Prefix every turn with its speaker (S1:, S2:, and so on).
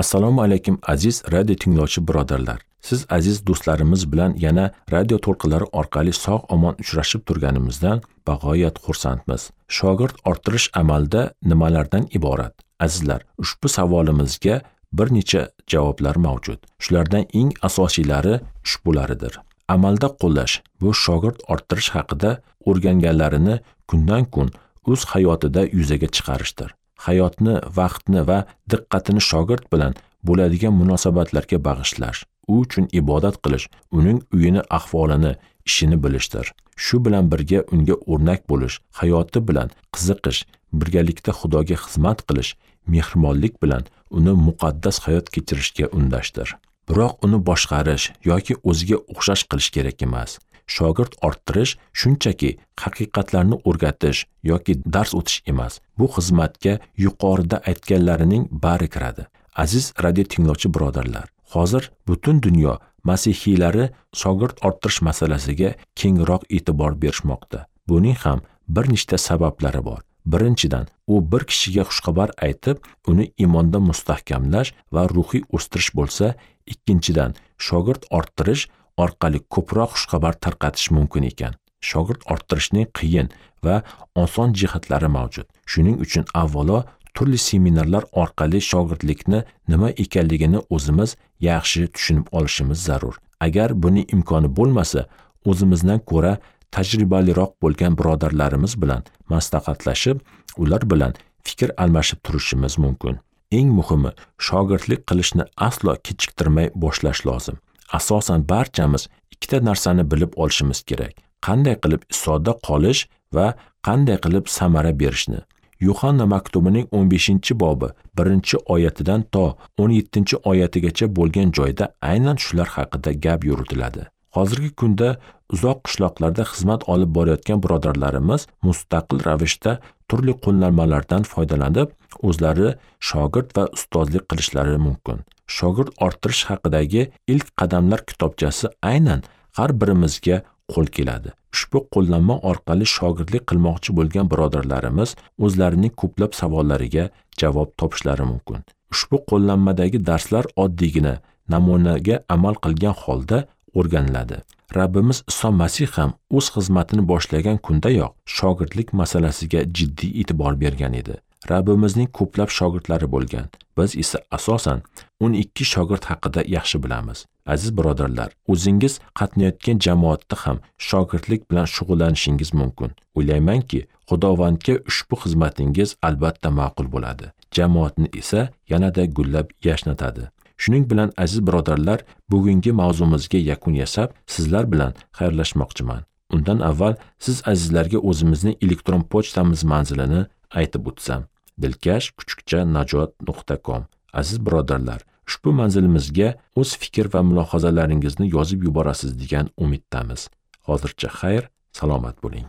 S1: Assalomu alaykum aziz radio tinglovchi birodarlar. Siz aziz do'stlarimiz bilan yana radio to'lqinlari orqali sog' omon uchrashib turganimizdan bag'oyat xursandmiz. Shogird orttirish amalda nimalardan iborat? Azizlar, ushbu savolimizga bir necha javoblar mavjud. Shulardan eng asosiylari ushbularidir. Amalda qo'llash bu shogird orttirish haqida o'rganganlarini kundan kun o'z hayotida yuzaga chiqarishdir. Hayotni, vaqtni va diqqatini shogird bilan bo'ladigan munosabatlarga bag'ishlash, u uchun ibodat qilish, uning uyini, ahvolini, ishini bilishdir. Shu bilan birga unga o'rnak bo'lish, hayoti bilan qiziqish, birgalikda Xudoga xizmat qilish, mehribonlik bilan uni muqaddas hayot kechirishga undashdir. Biroq uni boshqarish yoki o'ziga o'xshash qilish kerak emas. Shogird orttirish shunchaki haqiqatlarni o'rgatish yoki dars o'tish emas. Bu xizmatga yuqorida aytganlarining bari kiradi. Aziz radio tinglovchi birodarlar, hozir butun dunyo masihiylari shogird orttirish masalasiga kengroq e'tibor berishmoqda. Buning ham bir nechta sabablari bor. Birinchidan, u bir kishiga xushxabar aytib, uni iymonda mustahkamlash va ruhiy o'stirish bo'lsa, ikkinchidan, shogird orttirish orqali ko'proq xushxabar tarqatish mumkin ekan. Shogird orttirishning qiyin va oson jihatlari mavjud. Shuning uchun avvalo turli seminarlar orqali shogirdlikni nima ekanligini o'zimiz yaxshi tushunib olishimiz zarur. Agar buning imkoni bo'lmasa, o'zimizdan ko'ra tajribaliroq bo'lgan birodarlarimiz bilan maslahatlashib, ular bilan fikr almashib turishimiz mumkin. Eng muhimi, shogirdlik qilishni aslo kechiktirmay boshlash lozim. Asosan barchamiz ikkita narsani bilib olishimiz kerak. Qanday qilib Isoda qolish va qanday qilib samara berishni. Yuhanna maktubining 15-bobi 1-oyatidan to 17-oyatigacha bo'lgan joyda aynan shular haqida gap yuritiladi. Hozirgi kunda uzoq qishloqlarda xizmat olib borayotgan birodarlarimiz mustaqil ravishda turli qo'llanmalardan foydalanib, o'zlari shogird va ustozlik qilishlari mumkin. Shogird orttirish haqidagi ilk qadamlar kitobchasi aynan har birimizga qo'l keladi. Ushbu qo'llanma orqali shogirdlik qilmoqchi bo'lgan birodarlarimiz o'zlarining ko'plab savollariga javob topishlari mumkin. Ushbu qo'llanmadagi darslar oddiygina namunaga amal qilgan holda o'rganiladi. Rabbimiz Iso Masih ham o'z xizmatini boshlagan kundayoq shogirdlik masalasiga jiddiy e'tibor bergan edi. Rabbimizning ko'plab shogirdlari bo'lgan. Biz esa asosan 12 shogird haqida yaxshi bilamiz. Aziz birodarlar, o'zingiz qatnayotgan jamoatda ham shogirdlik bilan shug'ullanishingiz mumkin. O'ylaymanki, Xudovandga ushbu xizmatingiz albatta ma'qul bo'ladi. Jamoatni esa yanada gullab yashnatadi. Shuning bilan aziz birodarlar, bugungi mavzumizga yakun yasab, sizlar bilan xayrlashmoqchiman. Undan avval siz azizlarga o'zimizning elektron pochtamiz manzilini aytib o'tsam. dilkash@najot.com. Aziz birodarlar, ushbu manzilimizga o'z fikr va mulohazalaringizni yozib yuborasiz degan umiddamiz. Hozircha xayr, salomat bo'ling.